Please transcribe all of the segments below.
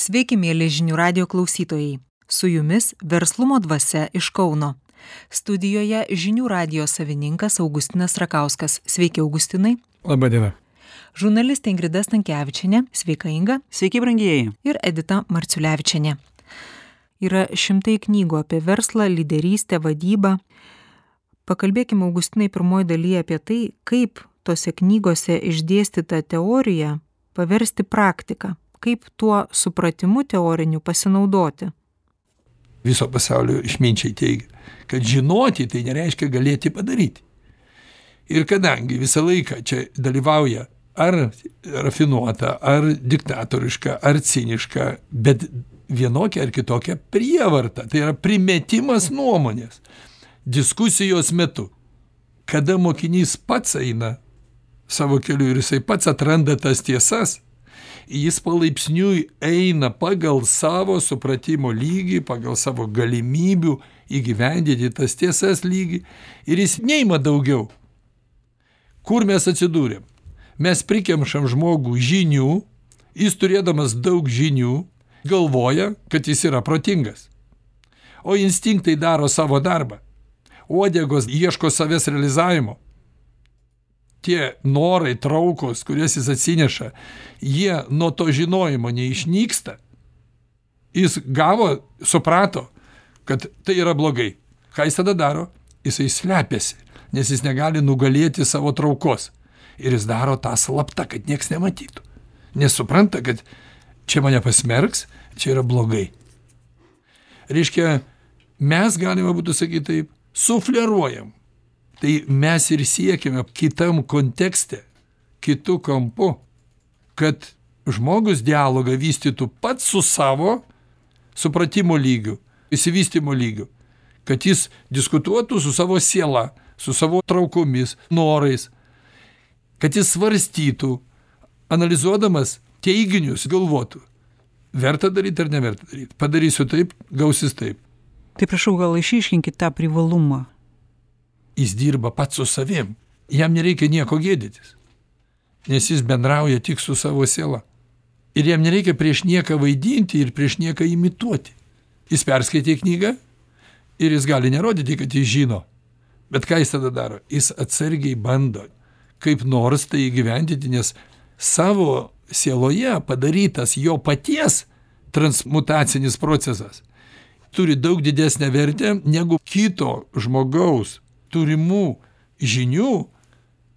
Sveiki, mėly žinių radio klausytojai. Su jumis Verslumo dvasia iš Kauno. Studijoje žinių radio savininkas Augustinas Rakauskas. Sveiki, Augustinai. Labą dieną. Žurnalistė Ingrida Stankevičienė. Sveika, Inga. Sveiki, brangieji. Ir Edita Marciulevičienė. Yra šimtai knygų apie verslą, lyderystę, vadybą. Pakalbėkime, Augustinai, pirmoji dalyje apie tai, kaip tose knygose išdėstyta teorija paversti praktiką. Kaip tuo supratimu teoriniu pasinaudoti. Viso pasaulio išminčiai teigia, kad žinoti tai nereiškia galėti padaryti. Ir kadangi visą laiką čia dalyvauja ar rafinuota, ar diktatoriška, ar ciniška, bet vienokia ar kitokia prievarta, tai yra primetimas nuomonės, diskusijos metu, kada mokinys pats eina savo keliu ir jisai pats atranda tas tiesas, jis palaipsniui eina pagal savo supratimo lygį, pagal savo galimybių įgyvendinti tas tiesas lygį ir jis neima daugiau. Kur mes atsidūrėm? Mes prikemšam žmogų žinių, jis turėdamas daug žinių galvoja, kad jis yra protingas. O instinktai daro savo darbą. Uodegos ieško savęs realizavimo. Tie norai, traukos, kurias jis atsineša, jie nuo to žinojimo neišnyksta. Jis gavo, suprato, kad tai yra blogai. Ką jis tada daro? Jisai slepiasi, nes jis negali nugalėti savo traukos. Ir jis daro tą slaptą, kad nieks nematytų. Nes supranta, kad čia mane pasmerks, čia yra blogai. Reiškia, mes galime būtų sakyti taip, sufleruojam. Tai mes ir siekime kitam kontekste, kitų kampu, kad žmogus dialogą vystytų pats su savo supratimo lygiu, įsivystymo lygiu, kad jis diskutuotų su savo siela, su savo traukomis, norais, kad jis svarstytų, analizuodamas teiginius, galvotų, verta daryti ar neverta daryti. Padarysiu taip, gausis taip. Tai prašau, gal išiškinkit tą privalumą. Jis dirba pats su savim. Jam nereikia nieko gėdytis. Nes jis bendrauja tik su savo siela. Ir jam nereikia prieš nieką vaidinti ir prieš nieką imituoti. Jis perskaitė knygą ir jis gali nerodyti, kad jis žino. Bet ką jis tada daro? Jis atsargiai bando kaip nors tai įgyvendinti, nes savo sieloje padarytas jo paties transmutacinis procesas turi daug didesnę vertę negu kito žmogaus turimų žinių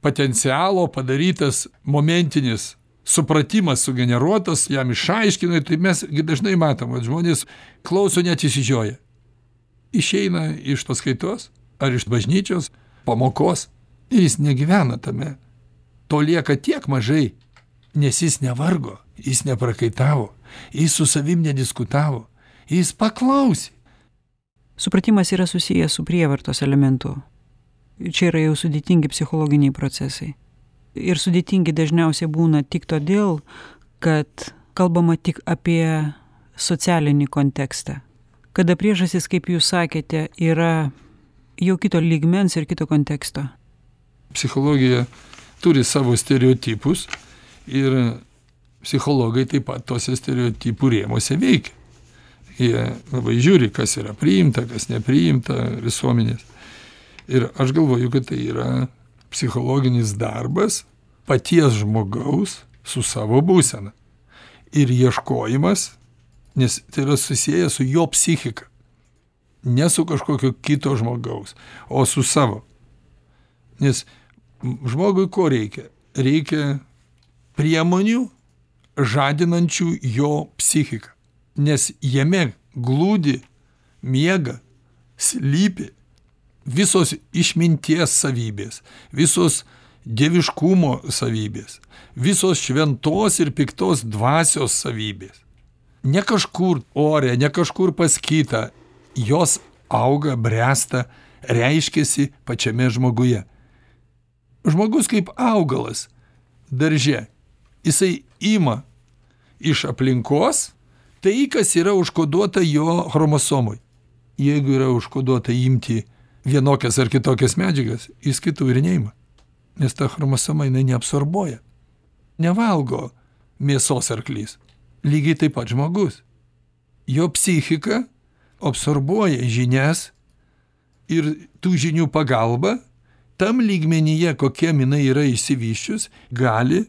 potencialo padarytas momentinis supratimas sugeneruotas, jam išaiškina, tai mes dažnai matom, kad žmonės klauso net įsižioja. Išeina iš paskaitos ar iš bažnyčios pamokos ir jis negyvena tame. To lieka tiek mažai, nes jis nevargo, jis neprakaitavo, jis su savim nediskutavo, jis paklausė. Supratimas yra susijęs su prievartos elementu. Čia yra jau sudėtingi psichologiniai procesai. Ir sudėtingi dažniausiai būna tik todėl, kad kalbama tik apie socialinį kontekstą. Kada priežastys, kaip jūs sakėte, yra jau kito lygmens ir kito konteksto. Psichologija turi savo stereotipus ir psichologai taip pat tose stereotipų rėmuose veikia. Jie labai žiūri, kas yra priimta, kas nepriimta visuomenės. Ir aš galvoju, kad tai yra psichologinis darbas paties žmogaus su savo būsena. Ir ieškojimas, nes tai yra susijęs su jo psichika. Ne su kažkokio kito žmogaus, o su savo. Nes žmogui ko reikia? Reikia priemonių žadinančių jo psichiką. Nes jame glūdi, miega, slypi visos išminties savybės, visos dieviškumo savybės, visos šventos ir piktos dvasios savybės. Ne kažkur ore, ne kažkur pas kitą, jos auga, bręsta, reiškiasi pačiame žmoguje. Žmogus kaip augalas darže, jisai ima iš aplinkos tai, kas yra užkoduota jo chromosomui. Jeigu yra užkoduota imti vienokias ar kitokias medžiagas, jis kitų ir neima. Nes ta chromosoma jinai neabsorbuoja. Nevalgo mėsos arklys. lygiai taip pat žmogus. Jo psichika absorbuoja žinias ir tų žinių pagalba tam lygmenyje, kokiem jinai yra išsivysčius, gali,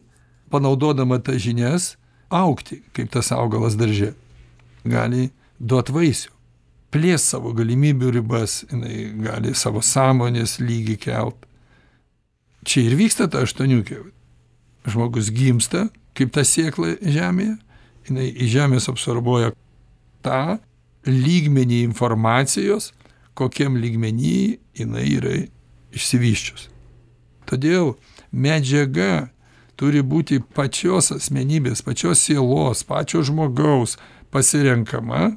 panaudodama tas žinias, augti, kaip tas augalas darže. Gali duot vaisių, plės savo galimybių ribas, jinai gali savo sąmonės lygį kelt. Čia ir vyksta ta aštuoniukė. Žmogus gimsta, kaip ta sėkla žemėje, jinai į žemės absorbuoja tą lygmenį informacijos, kokiam lygmenį jinai yra išsivysčius. Todėl medžiaga turi būti pačios asmenybės, pačios sielos, pačio žmogaus pasirenkama,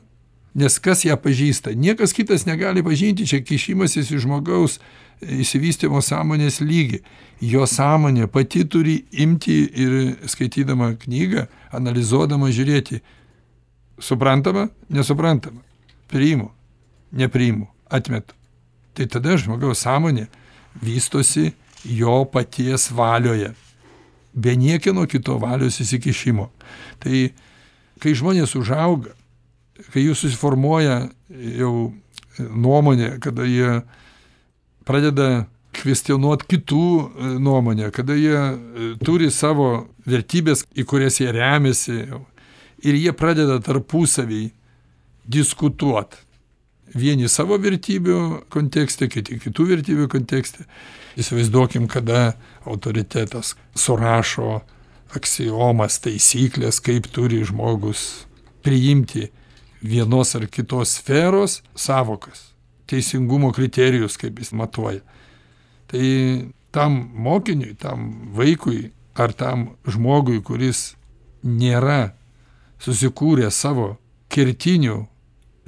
nes kas ją pažįsta? Niekas kitas negali pažinti, čia kišimasis į žmogaus išsivystymo sąmonės lygį. Jo sąmonė pati turi imti ir skaitydama knygą, analizuodama žiūrėti, suprantama, nesuprantama, priimu, nepriimu, atmetu. Tai tada žmogaus sąmonė vystosi jo paties valioje, be niekieno kito valios įsikišimo. Tai kai žmonės užauga, kai jų susiformuoja jau nuomonė, kada jie pradeda kvestionuoti kitų nuomonę, kada jie turi savo vertybės, į kurias jie remiasi, ir jie pradeda tarpusavį diskutuoti. Vieni savo vertybių kontekste, kiti kitų vertybių kontekste. Įsivaizduokim, kada autoritetas surašo aksiomas, taisyklės, kaip turi žmogus priimti vienos ar kitos sferos savokas, teisingumo kriterijus, kaip jis matuoja. Tai tam mokiniui, tam vaikui ar tam žmogui, kuris nėra susikūrę savo kertinių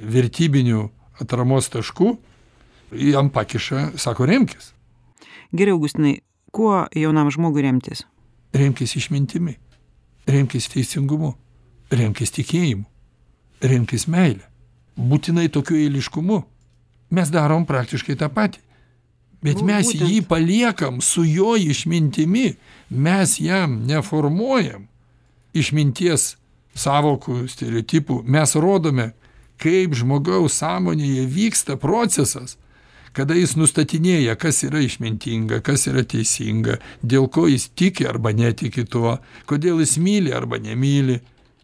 vertybinių atramos taškų, jam pakiša, sako, remkis. Gerai, Augustinai, kuo jaunam žmogui remtis? Remkis išmintimi, remkis teisingumu, remkis tikėjimu, remkis meilę. Būtinai tokiu eiliškumu. Mes darom praktiškai tą patį. Bet mes būtent jį paliekam su jo išmintimi. Mes jam neformuojam išminties savokų, stereotipų. Mes rodome, kaip žmogaus sąmonėje vyksta procesas, kada jis nustatinėja, kas yra išmintinga, kas yra teisinga, dėl ko jis tiki arba netiki tuo, kodėl jis myli arba nemyli.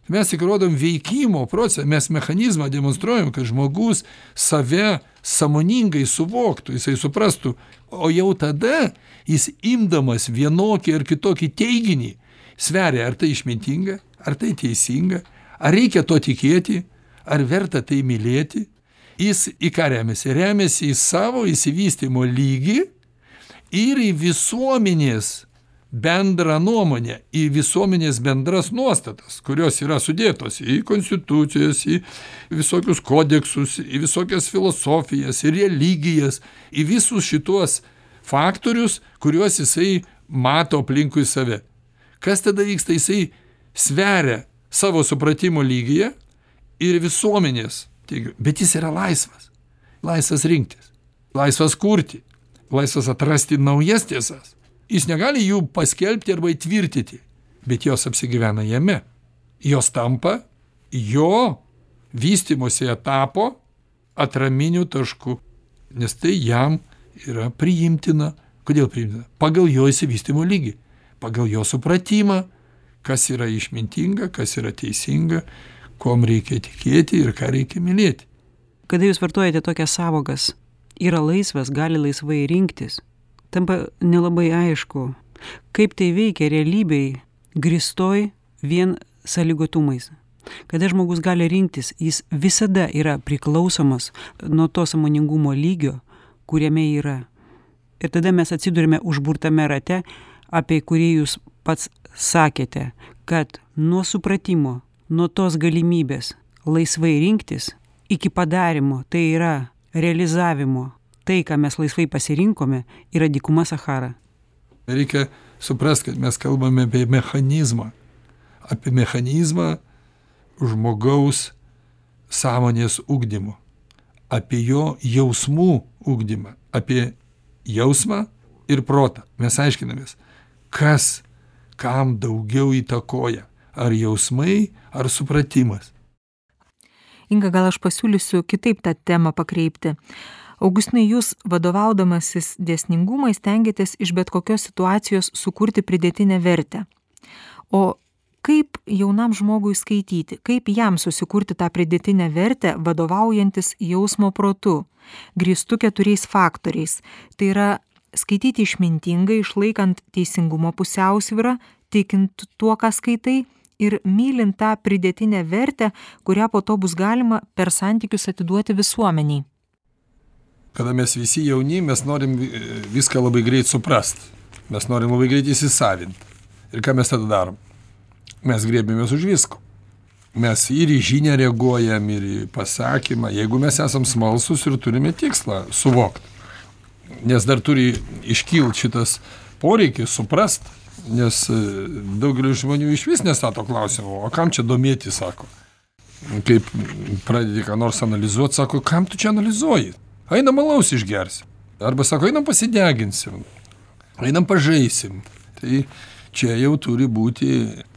Mes tik rodom veikimo procesą, mes mechanizmą demonstruojam, kad žmogus save sąmoningai suvoktų, jisai suprastų, o jau tada jis imdamas vienokį ar kitokį teiginį sveria, ar tai išmintinga, ar tai teisinga, ar reikia to tikėti, ar verta tai mylėti. Jis į ką remiasi? Remiasi į savo įsivystymo lygį ir į visuomenės bendrą nuomonę, į visuomenės bendras nuostatas, kurios yra sudėtos į konstitucijas, į visokius kodeksus, į visokias filosofijas, į religijas, į visus šituos faktorius, kuriuos jisai mato aplinkui save. Kas tada vyksta? Jisai sveria savo supratimo lygyje ir visuomenės. Bet jis yra laisvas. Laisvas rinktis. Laisvas kurti. Laisvas atrasti naujas tiesas. Jis negali jų paskelbti arba įtvirtyti, bet jos apsigyvena jame. Jos tampa jo vystymosi etapo atraminių taškų. Nes tai jam yra priimtina. Kodėl priimtina? Pagal jo įsivystymo lygį. Pagal jo supratimą, kas yra išmintinga, kas yra teisinga, kom reikia tikėti ir ką reikia mylėti. Kada jūs vartojate tokias savokas, yra laisvas, gali laisvai rinktis, tampa nelabai aišku, kaip tai veikia realybėj grįstoj vien sąlygotumais. Kada žmogus gali rinktis, jis visada yra priklausomas nuo to sąmoningumo lygio, kuriame yra. Ir tada mes atsidurime užburtame rate, apie kurį jūs pats sakėte, kad nuo supratimo, nuo tos galimybės laisvai rinktis iki padarimo, tai yra realizavimo, tai, ką mes laisvai pasirinkome, yra dykuma Sahara. Reikia suprasti, kad mes kalbame apie mechanizmą žmogaus sąmonės ugdymo, apie jo jausmų ugdymą, apie jausmą ir protą. Mes aiškinamės, kas kam daugiau įtakoja. ar jausmai, ar supratimas. Inga, gal aš pasiūlysiu kitaip tą temą pakreipti. Augustinai, jūs vadovaudamasis dėsningumais stengiatės iš bet kokios situacijos sukurti pridėtinę vertę. O kaip jaunam žmogui skaityti, kaip jam susikurti tą pridėtinę vertę, vadovaujantis jausmo protu, grįstų 4 faktoriais. Tai yra skaityti išmintingai, išlaikant teisingumo pusiausvyrą, tikint tuo, ką skaitai, ir mylint tą pridėtinę vertę, kurią po to bus galima per santykius atiduoti visuomeniai. Kada mes visi jauni, mes norim viską labai greit suprast. Mes norim labai greit įsisavinti. Ir ką mes tada darom? Mes griebėmės už visko. Mes ir į žinią reaguojam, ir į pasakymą. Jeigu mes esam smalsūs ir turime tikslą suvokti. Nes dar turi iškilti šitas poreikis suprast. Nes daugelis žmonių iš vis nestato klausimą, o kam čia domėti, sako. Kaip pradedi ką nors analizuoti, sako, kam tu čia analizuoji? Einam alaus išgersim. Arba sako, einam pasideginsim. Einam pažaisim. Tai čia jau turi būti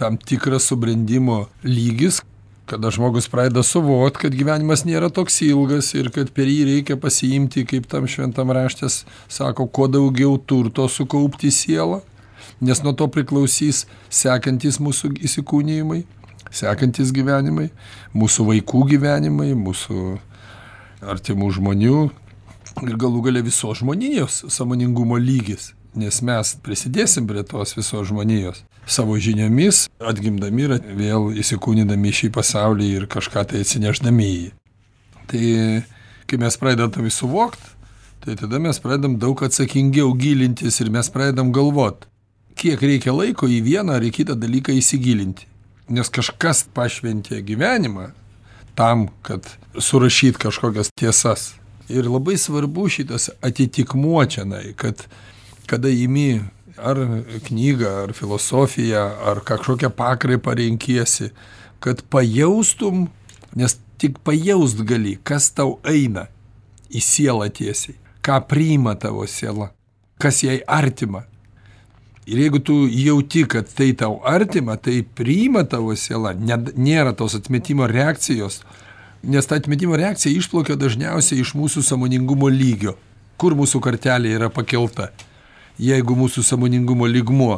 tam tikras subrendimo lygis, kada žmogus pradeda suvokti, kad gyvenimas nėra toks ilgas ir kad per jį reikia pasiimti, kaip tam šventam raštas sako, kuo daugiau turto sukaupti sielą, nes nuo to priklausys sekantis mūsų įsikūnijimai, sekantis gyvenimai, mūsų vaikų gyvenimai, mūsų artimų žmonių ir galų gale visos žmonijos sąmoningumo lygis. Nes mes prisidėsim prie tos visos žmonijos savo žiniomis, atgimdami ir vėl įsikūnydami šį pasaulį ir kažką tai atsineždami į jį. Tai kai mes pradedam suvokti, tai tada mes pradedam daug atsakingiau gilintis ir mes pradedam galvoti, kiek reikia laiko į vieną ar į kitą dalyką įsigilinti. Nes kažkas pašventė gyvenimą tam, kad surašyt kažkokias tiesas. Ir labai svarbu šitas atitikmuo čianai, kad kada imi ar knygą, ar filosofiją, ar kažkokią pakraipą renkiesi, kad pajaustum, nes tik pajaust gali, kas tau eina į sielą tiesiai, ką priima tavo siela, kas jai artima. Ir jeigu tu jauti, kad tai tau artima, tai priima tavo siela, nėra tos atmetimo reakcijos, nes ta atmetimo reakcija išplaukia dažniausiai iš mūsų sąmoningumo lygio, kur mūsų kartelė yra pakelta. Jeigu mūsų sąmoningumo lygmuo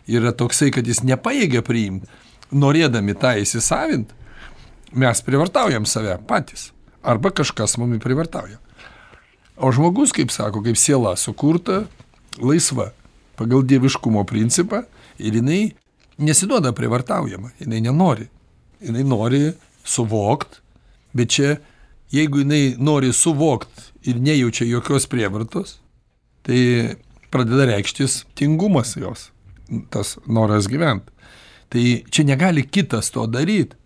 yra toksai, kad jis nepajėgia priimti, norėdami tą įsisavint, mes privartaujam save patys. Arba kažkas mumi privartauja. O žmogus, kaip sako, kaip siela sukurta, laisva, pagal dieviškumo principą, ir jinai nesiduoda privartaujama, jinai nenori. Jinai nori suvokt, bet čia, jeigu jinai nori suvokt ir nejaučia jokios prievartos, tai pradeda reikštis tingumas jos, tas noras gyventi. Tai čia negali kitas to daryti.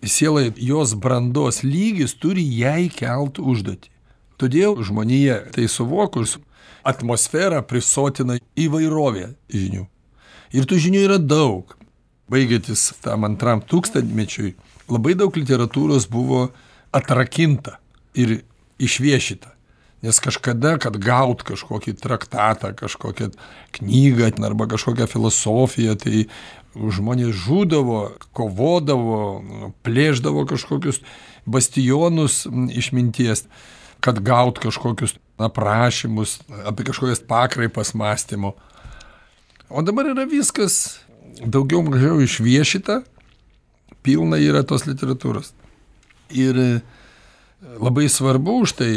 Sielai jos brandos lygis turi jai kelt užduotį. Todėl žmonija tai suvokus atmosferą prisotina įvairovė žinių. Ir tų žinių yra daug. Baigiantis tam 2 tūkstantmečiui, labai daug literatūros buvo atrakinta ir išviešita. Nes kažkada, kad gaut kažkokį traktatą, kažkokią knygą arba kažkokią filosofiją, tai žmonės žūdavo, kovodavo, plėšdavo kažkokius bastionus išminties, kad gaut kažkokius aprašymus apie kažkokias pakraipas mąstymo. O dabar yra viskas daugiau mažiau išviešita, pilna yra tos literatūros. Ir labai svarbu už tai,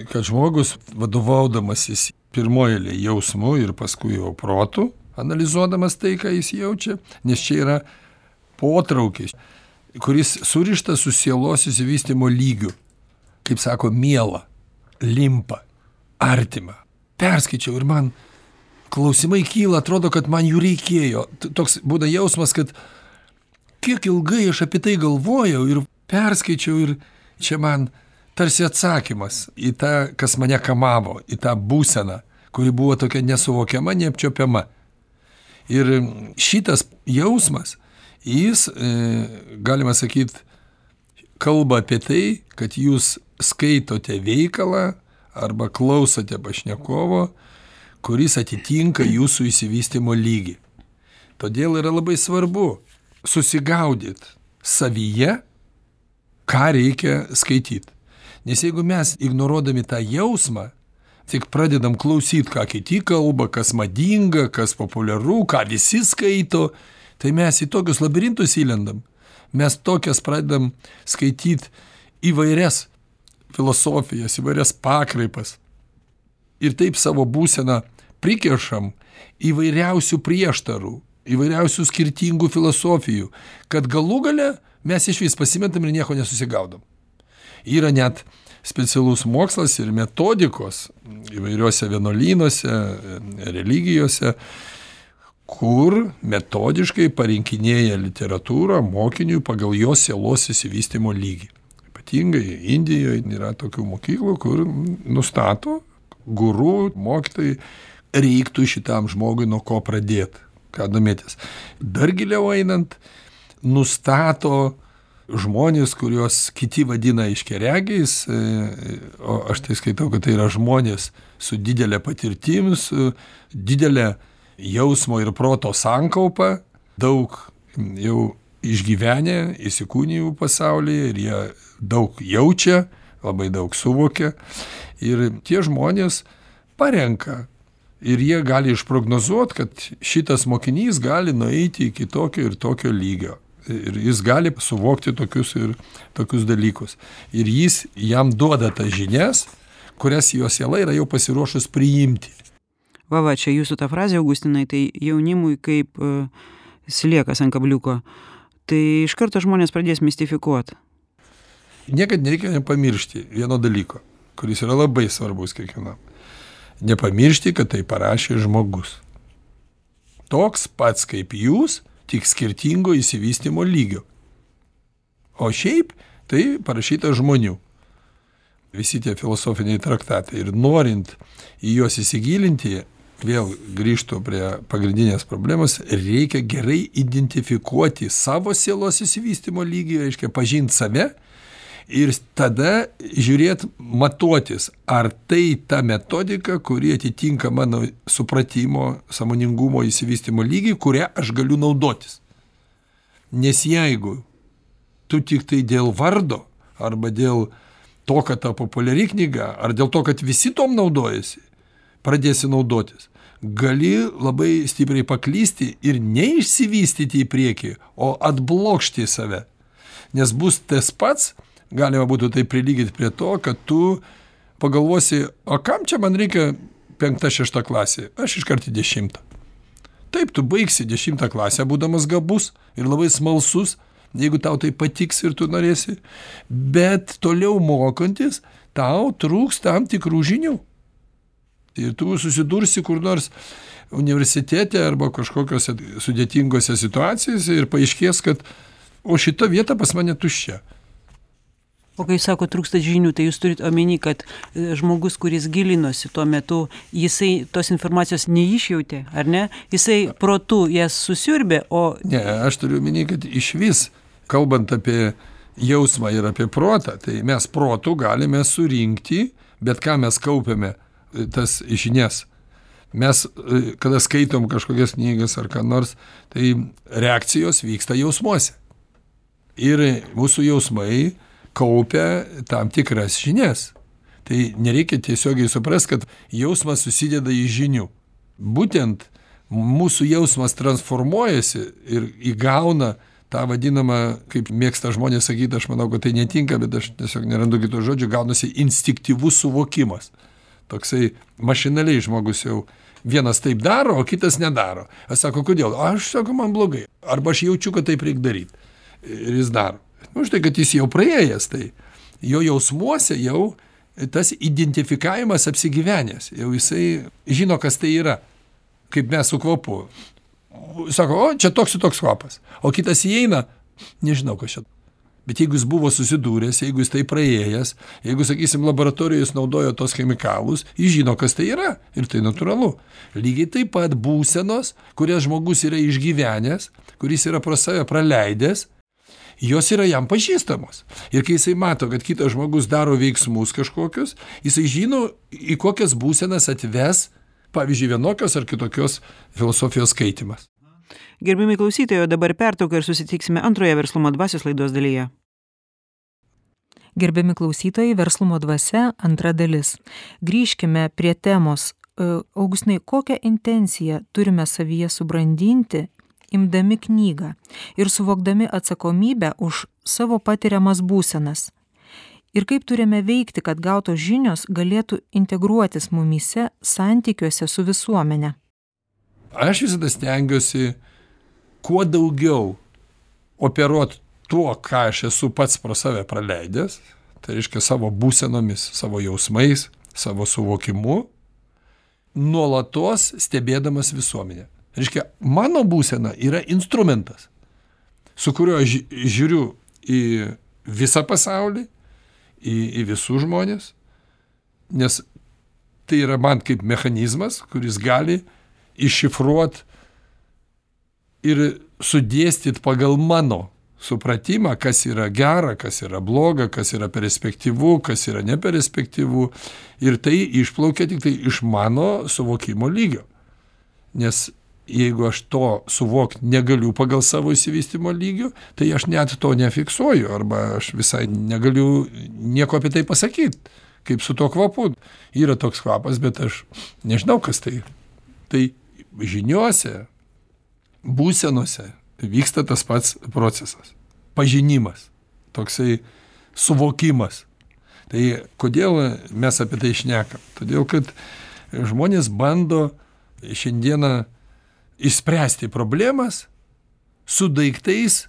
kad žmogus vadovaudamasis pirmoje eilėje jausmu ir paskui jau protu, analizuodamas tai, ką jis jaučia, nes čia yra potraukis, kuris surištas su sielos įsivystymo lygiu, kaip sako, miela, limpa, artima. Perskaičiau ir man klausimai kyla, atrodo, kad man jų reikėjo. Toks būna jausmas, kad kiek ilgai aš apie tai galvojau ir perskaičiau ir čia man tarsi atsakymas į tą, kas mane kamavo, į tą būseną, kuri buvo tokia nesuvokiama, neapčiopiama. Ir šitas jausmas, jis, galima sakyti, kalba apie tai, kad jūs skaitote veikalą arba klausote pašnekovo, kuris atitinka jūsų įsivystymo lygį. Todėl yra labai svarbu susigaudyt savyje, ką reikia skaityti. Nes jeigu mes ignoruodami tą jausmą, tik pradedam klausyti, ką kiti kalba, kas madinga, kas populiaru, ką visi skaito, tai mes į tokius labirintus įlendam. Mes tokias pradedam skaityti įvairias filosofijas, įvairias pakraipas. Ir taip savo būseną prikešam įvairiausių prieštarų, įvairiausių skirtingų filosofijų, kad galų gale mes iš vis pasimetam ir nieko nesusigaudom. Yra net specialus mokslas ir metodikos įvairiuose vienuolynuose, religijose, kur metodiškai parinkinėja literatūrą mokiniui pagal jo sielos išsivystymo lygį. Ypatingai Indijoje yra tokių mokyklų, kur nustato guru, mokytojai, reiktų šitam žmogui nuo ko pradėti, ką domėtis. Dar giliau einant, nustato žmonės, kuriuos kiti vadina aiškiaregiais, o aš tai skaitau, kad tai yra žmonės su didelė patirtim, su didelė jausmo ir proto sankaupa, daug jau išgyvenę, įsikūnijų pasaulyje ir jie daug jaučia, labai daug suvokia ir tie žmonės parenka ir jie gali išprognozuoti, kad šitas mokinys gali nueiti iki tokio ir tokio lygio. Ir jis gali suvokti tokius ir tokius dalykus. Ir jis jam duoda tas žinias, kurias jo siela yra jau pasiruošus priimti. Va, čia jūsų ta frazė, Augustinai, tai jaunimui kaip sliekas ant kabliuko. Tai iš karto žmonės pradės mistifikuoti. Niekad nereikia nepamiršti vieno dalyko, kuris yra labai svarbus kiekvienam. Nepamiršti, kad tai parašė žmogus. Toks pats kaip jūs, tik skirtingo išsivystymo lygio. O šiaip tai parašyta žmonių. Visi tie filosofiniai traktatai. Ir norint į juos įsigilinti, vėl grįžtu prie pagrindinės problemos, reikia gerai identifikuoti savo sielos išsivystymo lygį, reiškia pažinti save ir tada žiūrėti, matuotis, ar tai ta metodika, kuri atitinka mano supratimo, sąmoningumo išsivystymo lygį, kurią aš galiu naudotis. Nes jeigu tu tik tai dėl vardo, arba dėl to, kad ta populiari knyga, ar dėl to, kad visi tom naudojasi, pradėsi naudotis, gali labai stipriai paklysti ir neišsivystyti į priekį, o atblokšti save. Nes bus tas pats, galima būtų tai prilygyti prie to, kad tu pagalvosi, o kam čia man reikia 5-6 klasė? Aš iškart į 10. Taip, tu baigsi 10 klasę, būdamas gabus ir labai smalsus, jeigu tau tai patiks ir tu norėsi. Bet toliau mokantis, tau trūks tam tikrų žinių. Ir tu susidursi kur nors universitete arba kažkokiose sudėtingose situacijose ir paaiškės, kad o šita vieta pas mane tuščia. O kai sako trūksta žinių, tai jūs turit omeny, kad žmogus, kuris gilinosi tuo metu, jisai tos informacijos neišjautė, ar ne? Jisai protu jas susiurbė, o... Ne, aš turiu omeny, kad iš vis, kalbant apie jausmą ir apie protą, tai mes protu galime surinkti, bet ką mes kaupiame tas žinias. Mes, kada skaitom kažkokias knygas ar ką nors, tai reakcijos vyksta jausmuose. Ir mūsų jausmai kaupia tam tikras žinias. Tai nereikia tiesiogiai suprasti, kad jausmas susideda iš žinių. Būtent mūsų jausmas transformuojasi ir įgauna tą vadinamą, kaip mėgsta žmonės sakyti, aš manau, kad tai netinka, bet aš tiesiog nerandu kito žodžio, gaunasi instinktyvus suvokimas. Toksai mašinaliai žmogus jau vienas taip daro, o kitas nedaro. Aš sako, kodėl? Aš sako, man blogai. Arba aš jaučiu, kad taip reikia daryti. Ir jis daro. Už tai, kad jis jau praėjęs, tai jo jausmuose jau tas identifikavimas apsigyvenęs. Jau jisai žino, kas tai yra. Kaip mes su kvapu. Sako, o čia toks ir toks kvapas. O kitas įeina, nežinau, kas čia. Bet jeigu jis buvo susidūręs, jeigu jis tai praėjęs, jeigu, sakysim, laboratorijoje jis naudojo tos chemikalus, jis žino, kas tai yra. Ir tai natūralu. Lygiai taip pat būsenos, kurias žmogus yra išgyvenęs, kuris yra pro save praleidęs, jos yra jam pažįstamos. Ir kai jisai mato, kad kitas žmogus daro veiksmus kažkokius, jisai žino, į kokias būsenas atves, pavyzdžiui, vienokios ar kitokios filosofijos skaitimas. Gerbiami klausytojai, o dabar pertrauka ir susitiksime antroje Verslumo dvasios laidos dalyje. Gerbiami klausytojai, Verslumo dvasia, antra dalis. Grįžkime prie temos. Augustinai, kokią intenciją turime savyje subrandinti, imdami knygą ir suvokdami atsakomybę už savo patiriamas būsenas? Ir kaip turime veikti, kad gautos žinios galėtų integruotis mumyse santykiuose su visuomenė? Aš visada stengiuosi kuo daugiau operuoti tuo, ką aš esu pats pro save praleidęs, tai reiškia savo būsenomis, savo jausmais, savo suvokimu, nuolatos stebėdamas visuomenę. Reiškia, mano būsena yra instrumentas, su kuriuo aš žiūriu į visą pasaulį, į visus žmonės, nes tai yra man kaip mechanizmas, kuris gali iššifruoti ir sudėstyti pagal mano supratimą, kas yra gera, kas yra bloga, kas yra perspektyvu, kas yra neperspektyvu. Ir tai išplaukia tik tai iš mano suvokimo lygio. Nes jeigu aš to suvokti negaliu pagal savo įsivystymo lygio, tai aš net to nefiksuoju, arba aš visai negaliu nieko apie tai pasakyti, kaip su to kvapu. Yra toks kvapas, bet aš nežinau, kas tai. Tai žiniuose, būsenose vyksta tas pats procesas. Pažinimas, toksai suvokimas. Tai kodėl mes apie tai šnekam? Todėl, kad žmonės bando šiandieną išspręsti problemas su daiktais,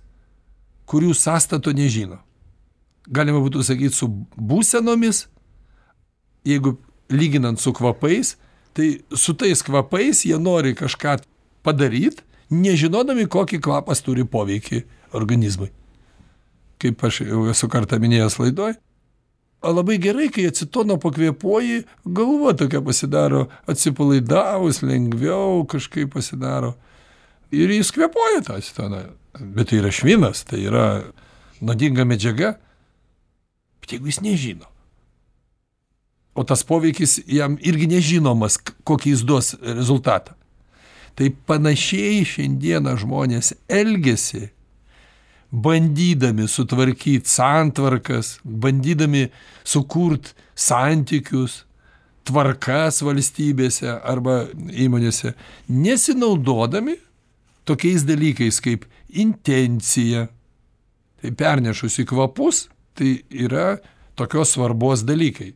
kurių sąstato nežino. Galima būtų sakyti su būsenomis, jeigu lyginant su kvapais, tai su tais kvapais jie nori kažką padaryti, nežinodami, kokį kvapas turi poveikį organizmui. Kaip aš jau esu kartą minėjęs laidoj, labai gerai, kai acetono pakvėpuoji, galva tokia pasidaro atsipalaidavus, lengviau kažkaip pasidaro. Ir jis kvėpuoja tą acetoną. Bet tai yra švinas, tai yra nuodinga medžiaga. Bet jeigu jis nežino, o tas poveikis jam irgi nežinomas, kokį jis duos rezultatą. Tai panašiai šiandieną žmonės elgiasi, bandydami sutvarkyti santvarkas, bandydami sukurti santykius, tvarkas valstybėse arba įmonėse, nesinaudodami tokiais dalykais kaip intencija. Tai pernešus į kvapus, tai yra tokios svarbos dalykai,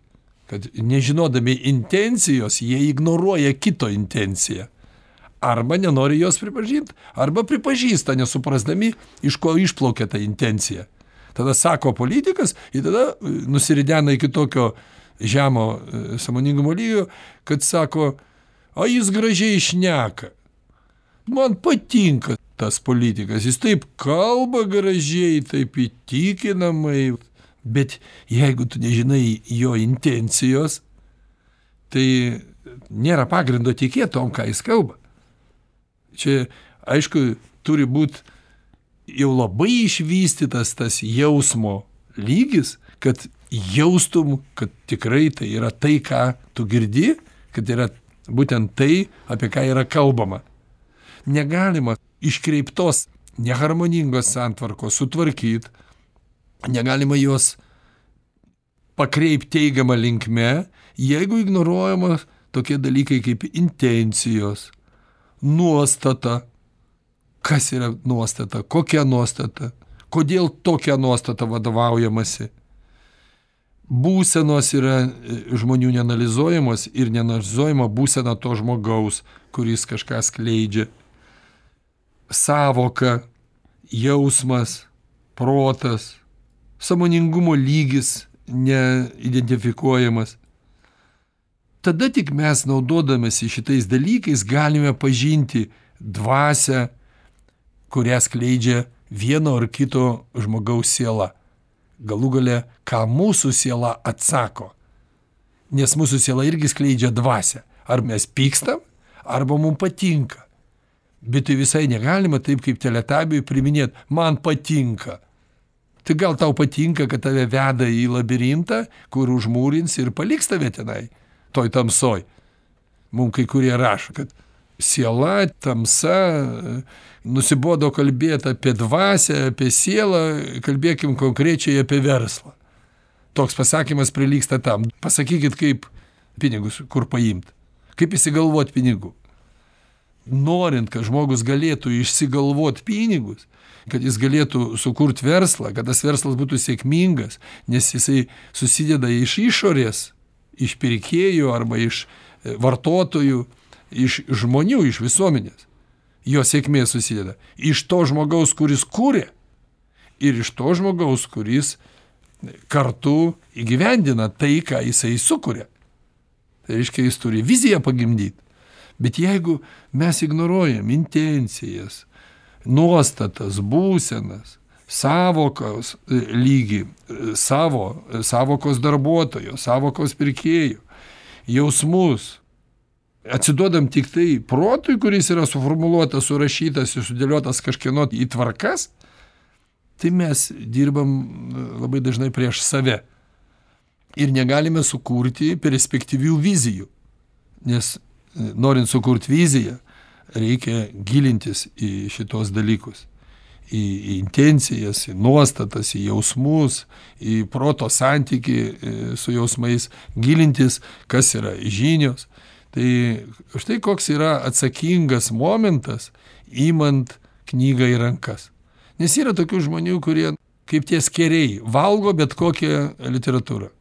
kad nežinodami intencijos, jie ignoruoja kito intenciją. Arba nenori jos pripažinti, arba pripažįsta, nesuprasdami, iš ko išplaukia ta intencija. Tada sako politikas ir tada nusiridena iki tokio žemo sąmoningumo lygio, kad sako, o jis gražiai šneka. Man patinka tas politikas, jis taip kalba gražiai, taip įtikinamai, bet jeigu tu nežinai jo intencijos, tai nėra pagrindo tikėti tom, ką jis kalba. Čia, aišku, turi būti jau labai išvystytas tas jausmo lygis, kad jaustum, kad tikrai tai yra tai, ką tu girdi, kad yra būtent tai, apie ką yra kalbama. Negalima iškreiptos, neharmoningos santvarkos sutvarkyti, negalima jos pakreipti teigiamą linkme, jeigu ignoruojama tokie dalykai kaip intencijos, nuostata. Kas yra nuostata? Kokia nuostata? Kodėl tokia nuostata vadovaujamasi? Būsenos yra žmonių neanalizuojamos ir neanalizuojama būsena to žmogaus, kuris kažką skleidžia. Sąvoka, jausmas, protas, sąmoningumo lygis neidentifikuojamas. Tada tik mes naudodamasi šitais dalykais galime pažinti dvasią, kurią skleidžia vieno ar kito žmogaus siela. Galų gale, ką mūsų siela atsako. Nes mūsų siela irgi skleidžia dvasią. Ar mes pykstam, arba mums patinka. Bet tai visai negalima taip kaip teletabiui priminėti, man patinka. Tai gal tau patinka, kad tave veda į labirintą, kur užmūrins ir paliks tave tenai, toj tamsoj. Mums kai kurie rašo, kad siela, tamsa, nusibodo kalbėti apie dvasią, apie sielą, kalbėkim konkrečiai apie verslą. Toks pasakymas prilygsta tam. Pasakykit, kaip pinigus, kur paimti. Kaip įsigalvoti pinigų. Norint, kad žmogus galėtų išsigalvoti pinigus, kad jis galėtų sukurti verslą, kad tas verslas būtų sėkmingas, nes jisai susideda iš išorės, iš pirkėjų arba iš vartotojų, iš žmonių, iš visuomenės. Jo sėkmė susideda iš to žmogaus, kuris kūrė, ir iš to žmogaus, kuris kartu įgyvendina tai, ką jisai sukuria. Tai reiškia, jis turi viziją pagimdyti. Bet jeigu mes ignoruojam intencijas, nuostatas, būsenas, savokos lygį, savokos darbuotojo, savokos pirkėjų, jausmus, atsiduodam tik tai protui, kuris yra suformuluotas, surašytas ir sudėliotas kažkieno į tvarkas, tai mes dirbam labai dažnai prieš save. Ir negalime sukurti perspektyvių vizijų. Nes norint sukurti viziją, reikia gilintis į šitos dalykus. Į intencijas, į nuostatas, į jausmus, į proto santykį su jausmais, gilintis, kas yra žinios. Tai štai koks yra atsakingas momentas, imant knygą į rankas. Nes yra tokių žmonių, kurie kaip tie skeriai valgo bet kokią literatūrą.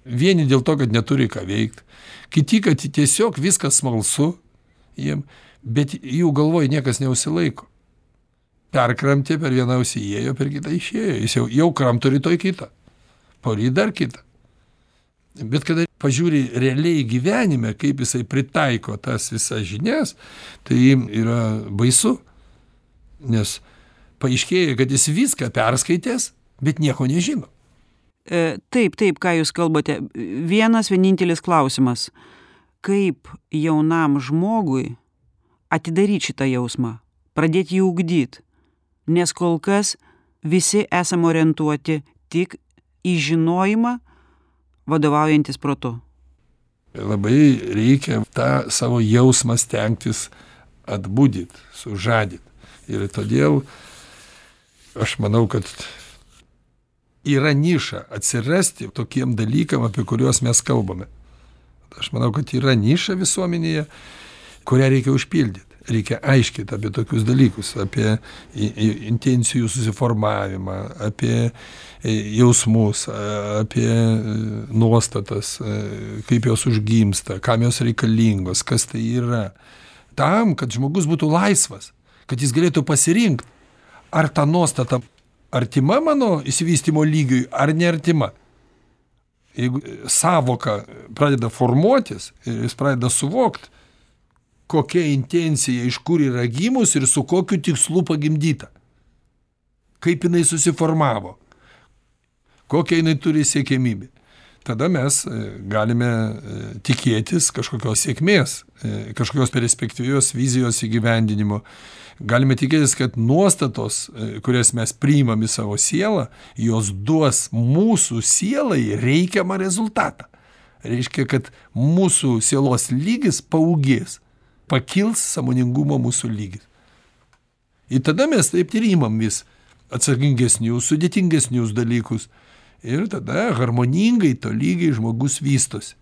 Vieni dėl to, kad neturi ką veikti, kiti, kad tiesiog viskas smalsu jiem, bet jų galvoj niekas neužsilaiko. Perkramtė, per vieną ausį įėjo, per kitą išėjo. Jis jau kramto rytoj kitą, poryt dar kitą. Bet kada pažiūri realiai gyvenime, kaip jisai pritaiko tas visas žinias, tai yra baisu. Nes paaiškėja, kad jis viską perskaitęs, bet nieko nežino. Taip, ką jūs kalbate. Vienas vienintelis klausimas. Kaip jaunam žmogui atidaryti šitą jausmą, pradėti jį ugdyti? Nes kol kas visi esame orientuoti tik į žinojimą, vadovaujantis protu. Labai reikia tą savo jausmą stengtis atbudyti, sužadyti. Ir todėl aš manau, kad yra niša atsirasti tokiem dalykam, apie kuriuos mes kalbame. Aš manau, kad yra niša visuomenėje, kurią reikia užpildyti. Reikia aiškinti apie tokius dalykus, apie intencijų susiformavimą, apie jausmus, apie nuostatas, kaip jos užgimsta, kam jos reikalingos, kas tai yra. Tam, kad žmogus būtų laisvas, kad jis galėtų pasirinkti, ar ta nuostata artima mano išsivystymo lygiui, ar neartima. Jeigu savoka pradeda formuotis ir jis pradeda suvokti, kokia intencija, iš kur yra gimus ir su kokiu tikslu pagimdyta. Kaip jinai susiformavo. Kokia jinai turi siekiamybę. Tada mes galime tikėtis kažkokios sėkmės, kažkokios perspektyvios vizijos įgyvendinimo. Galime tikėtis, kad nuostatos, kurias mes priimam į savo sielą, jos duos mūsų sielai reikiamą rezultatą. Reiškia, kad mūsų sielos lygis paaugės, pakils sąmoningumo mūsų lygis. Ir tada mes taip ir imam vis atsakingesnius, sudėtingesnius dalykus. Ir tada harmoningai, tolygiai žmogus vystosi.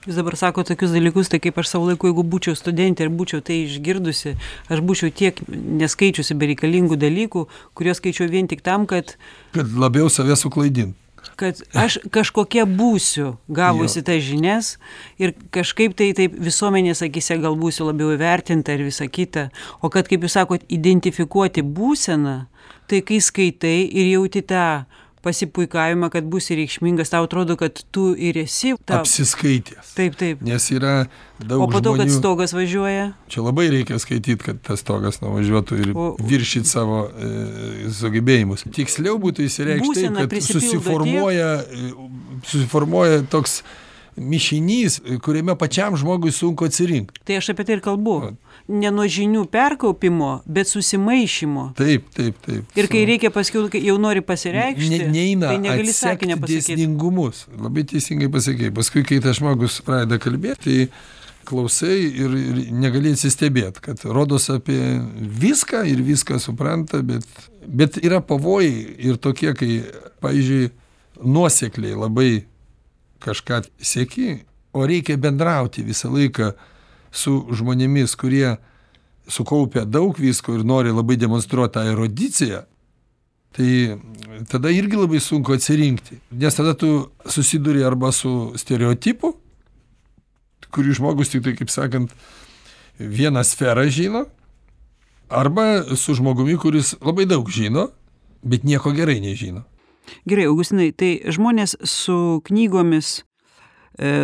Jūs dabar sako tokius dalykus, tai kaip aš savo laiku, jeigu būčiau studentė ir būčiau tai išgirdusi, aš būčiau tiek neskaičiusi bereikalingų dalykų, kuriuos skaičiau vien tik tam, kad labiau save suklaidint. Kad aš kažkokia būsiu gavusi tas žinias ir kažkaip tai taip visuomenės akise gal būsiu labiau įvertinta ir visa kita. O kad, kaip jūs sakot, identifikuoti būseną, tai kai skaitai ir jauti tą pasipuikavimą, kad būsi reikšmingas, tau atrodo, kad tu ir esi apsiskaitęs. Taip. Nes yra daug žmonių. O po to, kad stogas važiuoja? Čia labai reikia skaityti, kad tas stogas nuvažiuotų ir viršyti savo sugebėjimus. Tiksliau būtų įsireikšti taip, kad susiformuoja toks mišinys, kuriame pačiam žmogui sunku atsirinkti. Tai aš apie tai ir kalbu. Ne nuo žinių perkaupimo, bet susimaišymo. Taip. Ir kai reikia paskiau, kai jau nori pasireikšti, neina tai negali sakinio pasakyti. Dėsningumus. Labai teisingai pasakei. Paskui, kai tas žmogus pradeda kalbėti, tai klausai ir negali atsistebėti, kad rodos apie viską ir viską supranta, bet yra pavojai ir tokie, kai, pavyzdžiui, nuosekliai labai kažką sieki, o reikia bendrauti visą laiką su žmonėmis, kurie sukaupia daug visko ir nori labai demonstruoti tą erudiciją, tai tada irgi labai sunku atsirinkti. Nes tada tu susiduri arba su stereotipu, kurį žmogus tik tai, kaip sakant, vieną sferą žino, arba su žmogumi, kuris labai daug žino, bet nieko gerai nežino. Gerai, Augustinai, tai žmonės su knygomis,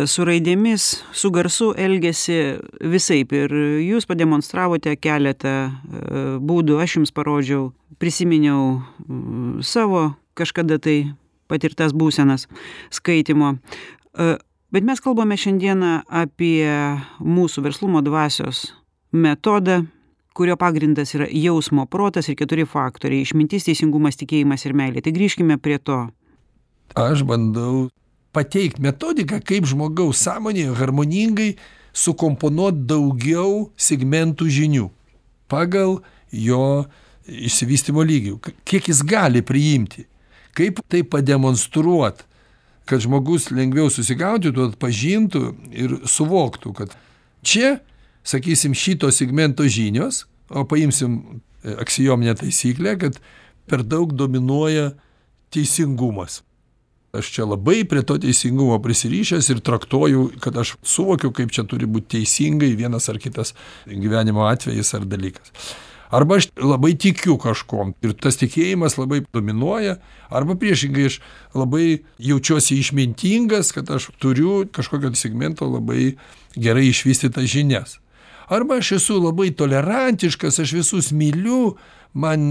su raidėmis, su garsu elgiasi visaip ir jūs pademonstravote keletą būdų, aš jums parodžiau, prisiminiau savo kažkada tai patirtas būsenas skaitymo. Bet mes kalbame šiandieną apie mūsų verslumo dvasios metodą, kurio pagrindas yra jausmo, protas ir 4 faktoriai – išmintis, teisingumas, tikėjimas ir meilė. Tai grįžkime prie to. Aš bandau pateikti metodiką, kaip žmogaus sąmonėje harmoningai sukomponuoti daugiau segmentų žinių pagal jo išsivystymo lygį. Kiek jis gali priimti. Kaip tai pademonstruoti, kad žmogus lengviau susigaudytų, atpažintų ir suvoktų, kad čia, sakysim, šito segmento žinios, o paimsim aksiominę taisyklę, kad per daug dominuoja teisingumas. Aš čia labai prie to teisingumo prisirišęs ir traktuoju, kad aš suvokiu, kaip čia turi būti teisingai vienas ar kitas gyvenimo atvejis ar dalykas. Arba aš labai tikiu kažkom ir tas tikėjimas labai dominuoja, arba priešingai aš labai jaučiuosi išmintingas, kad aš turiu kažkokio segmento labai gerai išvystytas žinias. Arba aš esu labai tolerantiškas, aš visus myliu, man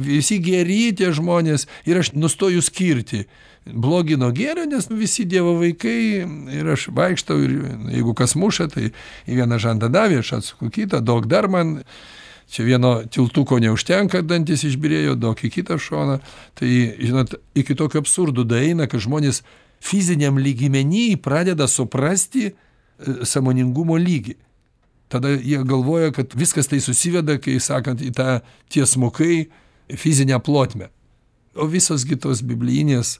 visi geri tie žmonės ir aš nustoju skirti blogį nuo gėrio, nes visi Dievo vaikai ir aš vaikštau ir jeigu kas muša, tai į vieną žandą davė, aš atsuku kitą, daug dar man, čia vieno tiltuko neužtenka, dantis išbyrėjo, daug į kitą šoną. Tai, žinot, iki tokio absurdų daeina, kad žmonės fiziniam lygmenį pradeda suprasti sąmoningumo lygį. Tada jie galvoja, kad viskas tai susiveda, kai sakant, į tą tiesmukai fizinę plotmę. O visos kitos biblijinės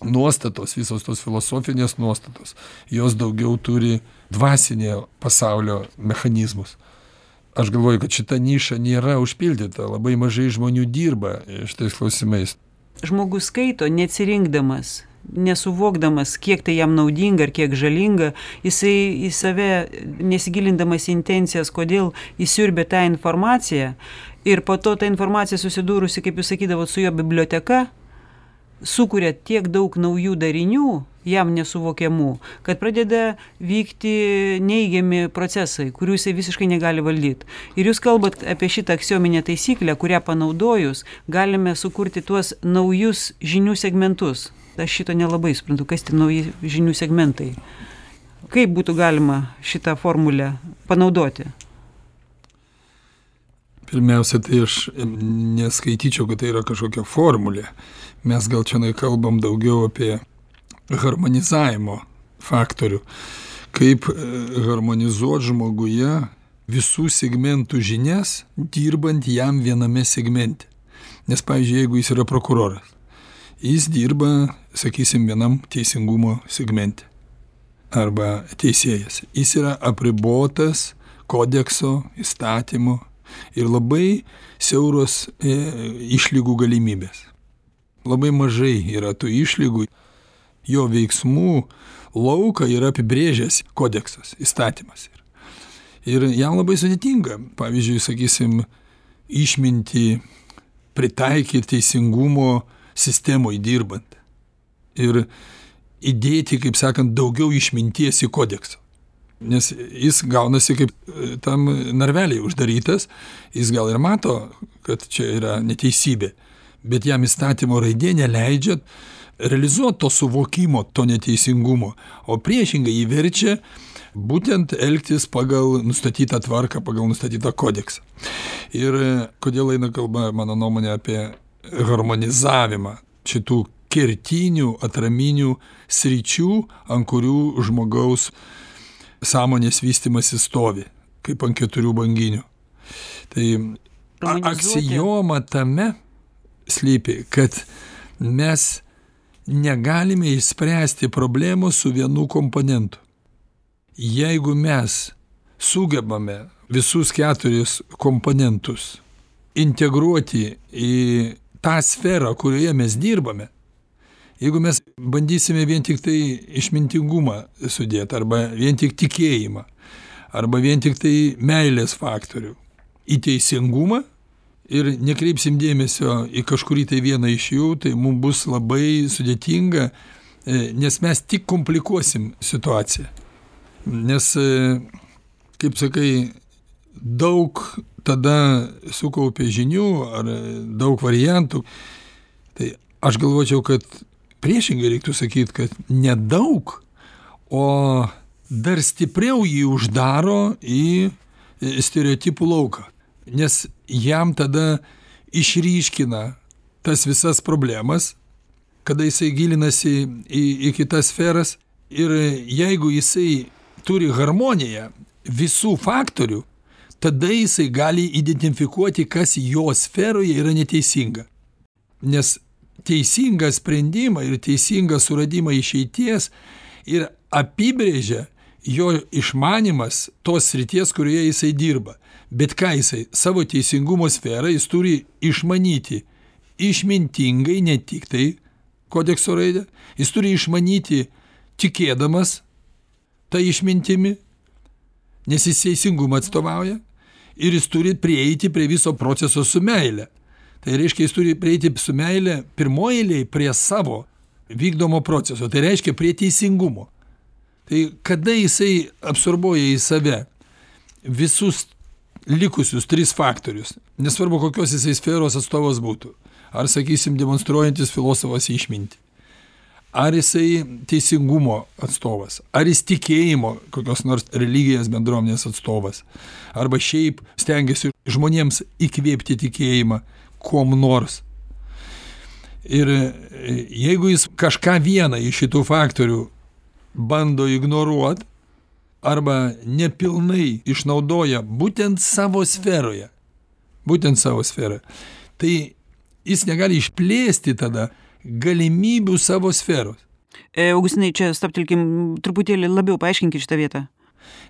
nuostatos, visos tos filosofinės nuostatos, jos daugiau turi dvasinio pasaulio mechanizmus. Aš galvoju, kad šita niša nėra užpildyta, labai mažai žmonių dirba šitais klausimais. Žmogus skaito neatsirinkdamas, nesuvokdamas, kiek tai jam naudinga ar kiek žalinga, jisai į save nesigilindamas į intencijas, kodėl jis siurbia tą informaciją ir po to ta informacija susidūrusi, kaip jūs sakydavot, su jo biblioteka, sukuria tiek daug naujų darinių, jam nesuvokiamų, kad pradeda vykti neigiami procesai, kurių jisai visiškai negali valdyti. Ir jūs kalbat apie šitą aksiominę taisyklę, kurią panaudojus galime sukurti tuos naujus žinių segmentus. Aš šito nelabai suprantu, kas tie nauji žinių segmentai. Kaip būtų galima šitą formulę panaudoti? Pirmiausia, tai aš neskaityčiau, kad tai yra kažkokia formulė. Mes gal čia kalbam daugiau apie harmonizavimo faktorių. Kaip harmonizuoti žmoguje visų segmentų žinias, dirbant jam viename segmente. Nes, pavyzdžiui, jeigu jis yra prokuroras, jis dirba, sakysim, vienam teisingumo segmente. Arba teisėjas. Jis yra apribotas kodekso, įstatymo ir labai siauros išlygų galimybės. Labai mažai yra tų išlygų. Jo veiksmų lauką yra apibrėžęs kodeksas, įstatymas. Ir jam labai sudėtinga, pavyzdžiui, sakysim, išmintį pritaikyti teisingumo sistemoje dirbant. Ir įdėti, kaip sakant, daugiau išminties į kodeksą. Nes jis gaunasi kaip tam narveliai uždarytas, jis gal ir mato, kad čia yra neteisybė, bet jam įstatymo raidė neleidžia realizuoti to suvokimo, to neteisingumo, o priešingai jį verčia būtent elgtis pagal nustatytą tvarką, pagal nustatytą kodeksą. Ir kodėl eina kalba, mano nuomonė, apie harmonizavimą šitų kertinių, atraminių sričių, ant kurių žmogaus sąmonės vystymasis stovi, kaip ant 4 banginių. Tai aksioma tame slypi, kad mes negalime išspręsti problemos su vienu komponentu. Jeigu mes sugebame visus 4 komponentus integruoti į tą sferą, kurioje mes dirbame, jeigu mes bandysime vien tik tai išmintingumą sudėti, arba vien tik tikėjimą, arba vien tik tai meilės faktorių į teisingumą ir nekreipsim dėmesio į kažkurį tai vieną iš jų, tai mums bus labai sudėtinga, nes mes tik komplikuosim situaciją. Nes, kaip sakai, daug tada sukaupė žinių ar daug variantų, tai aš galvočiau, kad priešingai reiktų sakyti, kad nedaug, o dar stipriau jį uždaro į stereotipų lauką. Nes jam tada išryškina tas visas problemas, kada jisai gilinasi į kitas sferas, ir jeigu jisai turi harmoniją visų faktorių, tada jisai gali identifikuoti, kas jo sferoje yra neteisinga. Nes teisingą sprendimą ir teisingą suradimą išeities ir apibrėžia jo išmanimas tos srities, kurioje jisai dirba. Bet ką jisai savo teisingumo sferą jis turi išmanyti išmintingai, ne tik tai kodekso raidę, jis turi išmanyti tikėdamas tą išmintimi, nes jis teisingumą atstovauja, ir jis turi prieiti prie viso proceso su meile. Tai reiškia, jis turi prieiti su meile pirmoje eilėje prie savo vykdomo proceso, tai reiškia prie teisingumo. Tai kada jisai absorbuoja į save visus likusius 3 faktorius, nesvarbu kokios jisai sferos atstovas būtų, ar sakysim demonstruojantis filosofas išmintį, ar jisai teisingumo atstovas, ar jis tikėjimo kokios nors religijos bendruomenės atstovas, arba šiaip stengiasi žmonėms įkvėpti tikėjimą kuom nors. Ir jeigu jis kažką vieną iš šitų faktorių bando ignoruoti, arba nepilnai išnaudoja būtent savo sferoje, tai jis negali išplėsti tada galimybių savo sferos. Augustinai, čia stabtelkim truputėlį labiau, paaiškinkit šitą vietą.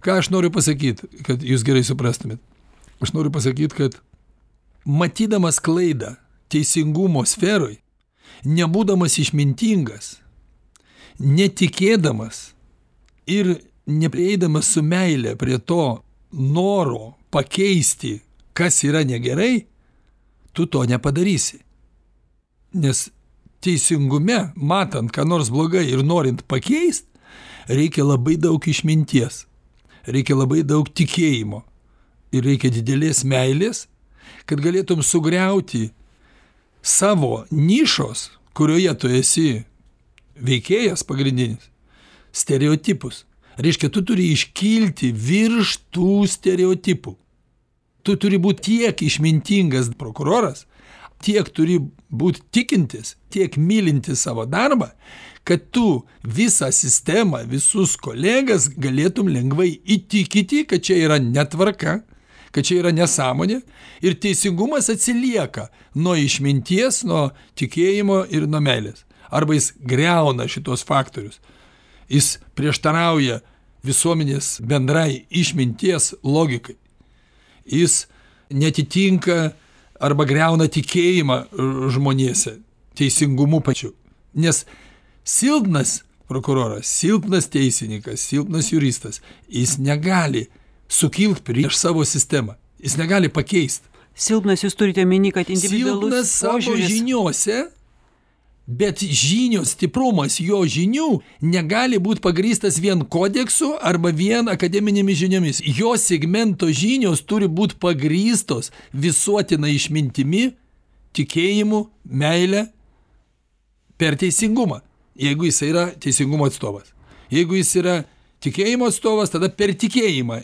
Ką aš noriu pasakyti, kad jūs gerai suprastumėt? Aš noriu pasakyti, kad matydamas klaidą teisingumo sferoj, nebūdamas išmintingas, netikėdamas ir neprieidamas su meile prie to noro pakeisti, kas yra negerai, tu to nepadarysi. Nes teisingume, matant, ką nors blogai ir norint pakeist, reikia labai daug išminties, reikia labai daug tikėjimo ir reikia didelės meilės, kad galėtum sugriauti savo nišos, kurioje tu esi veikėjas pagrindinis, stereotipus. Reiškia, tu turi iškilti virš tų stereotipų. Tu turi būti tiek išmintingas prokuroras, tiek turi būti tikintis, tiek mylintis savo darbą, kad tu visą sistemą, visus kolegas galėtum lengvai įtikinti, kad čia yra netvarka, kad čia yra nesąmonė ir teisingumas atsilieka nuo išminties, nuo tikėjimo ir nuo meilės. Arba jis greuna šitos faktorius. Jis prieštarauja visuomenės bendrai išminties logikai. Jis netitinka arba greuna tikėjimą žmonėse, teisingumu pačiu. Nes silpnas prokuroras, silpnas teisininkas, silpnas juristas, jis negali sukilti prieš savo sistemą. Jis negali pakeisti. Silpnas jūs turite meni, kad individualus silpnas savo požiūris žiniuose, bet žinios stiprumas jo žinių negali būti pagrįstas vien kodeksu arba vien akademinėmis žiniomis. Jo segmento žinios turi būti pagrįstos visuotina išmintimi, tikėjimu, meile per teisingumą. Jeigu jis yra teisingumo atstovas. Jeigu jis yra tikėjimo atstovas, tada per tikėjimą.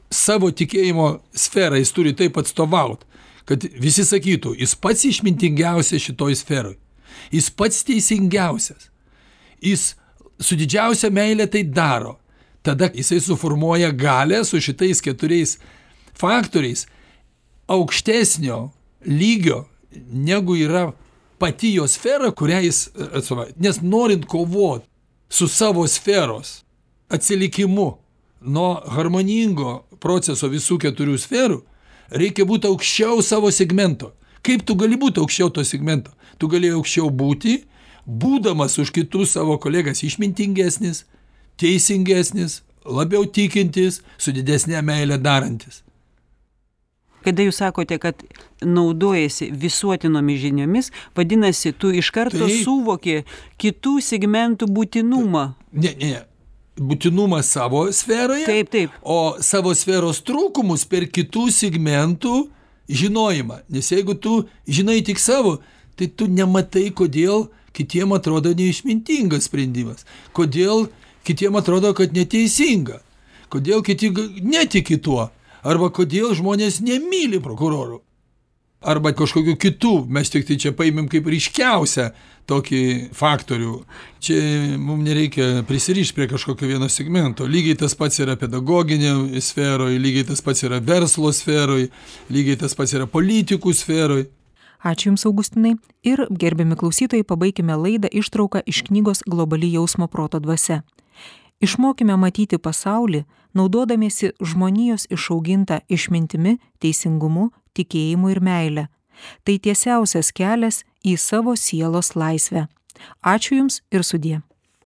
Savo tikėjimo sferą jis turi taip atstovauti, kad visi sakytų, jis pats išmintingiausias šitoj sferoj. Jis pats teisingiausias. Jis su didžiausia meilė tai daro. tada jisai suformuoja galią su šitais 4 faktoriais aukštesnio lygio, negu yra pati jo sfera, kurią jis atstovauja. Nes norint kovoti su savo sferos atsilikimu nuo harmoningo proceso visų 4 sferų, reikia būti aukščiau savo segmento. Kaip tu gali būti aukščiau to segmento? Tu gali aukščiau būti, būdamas už kitus savo kolegas išmintingesnis, teisingesnis, labiau tikintis, su didesnė meilė darantis. Kada jūs sakote, kad naudojasi visuotinomis žiniomis, vadinasi, tu iš karto suvoki kitų segmentų būtinumą. Ne. Būtinumą savo sferoje, Taip. o savo sferos trūkumus per kitų segmentų žinojimą. Nes jeigu tu žinai tik savo, tai tu nematai, kodėl kitiem atrodo neišmintingas sprendimas. Kodėl kitiem atrodo, kad neteisinga. Kodėl kiti netiki tuo. Arba kodėl žmonės nemyli prokurorų. Arba kažkokių kitų. Mes tik tai čia paimėm kaip ryškiausią tokį faktorių. Čia mums nereikia prisirišti prie kažkokio vieno segmento. Lygiai tas pats yra pedagoginė sferoje, lygiai tas pats yra verslo sferoje, lygiai tas pats yra politikų sferoje. Ačiū Jums, Augustinai. Ir, gerbiami klausytojai, pabaikime laidą ištrauką iš knygos Globali jausmo proto dvasia. Išmokime matyti pasaulį, naudodamiesi žmonijos išaugintą išmintimi, teisingumu, tikėjimu ir meile. Tai tiesiausias kelias į savo sielos laisvę. Ačiū Jums ir sudie.